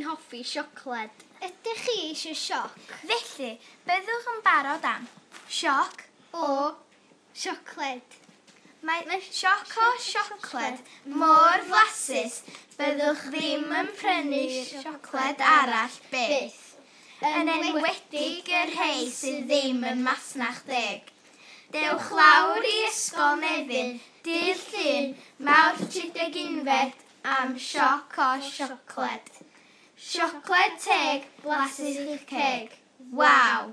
chi'n hoffi siocled? Ydych chi eisiau sioc? Felly, byddwch yn barod am sioc o siocled. Mae sioc o siocled mor flasus, byddwch ddim yn prynu siocled arall byth. Yn enwedig y rhai sydd ddim yn Masnach Deg. Dewch lawr i Ysgol Nefyn, dydd Llun, Mawrth 31 am sioc o siocled. Siocled teg, blasus i'ch ceg. Waw!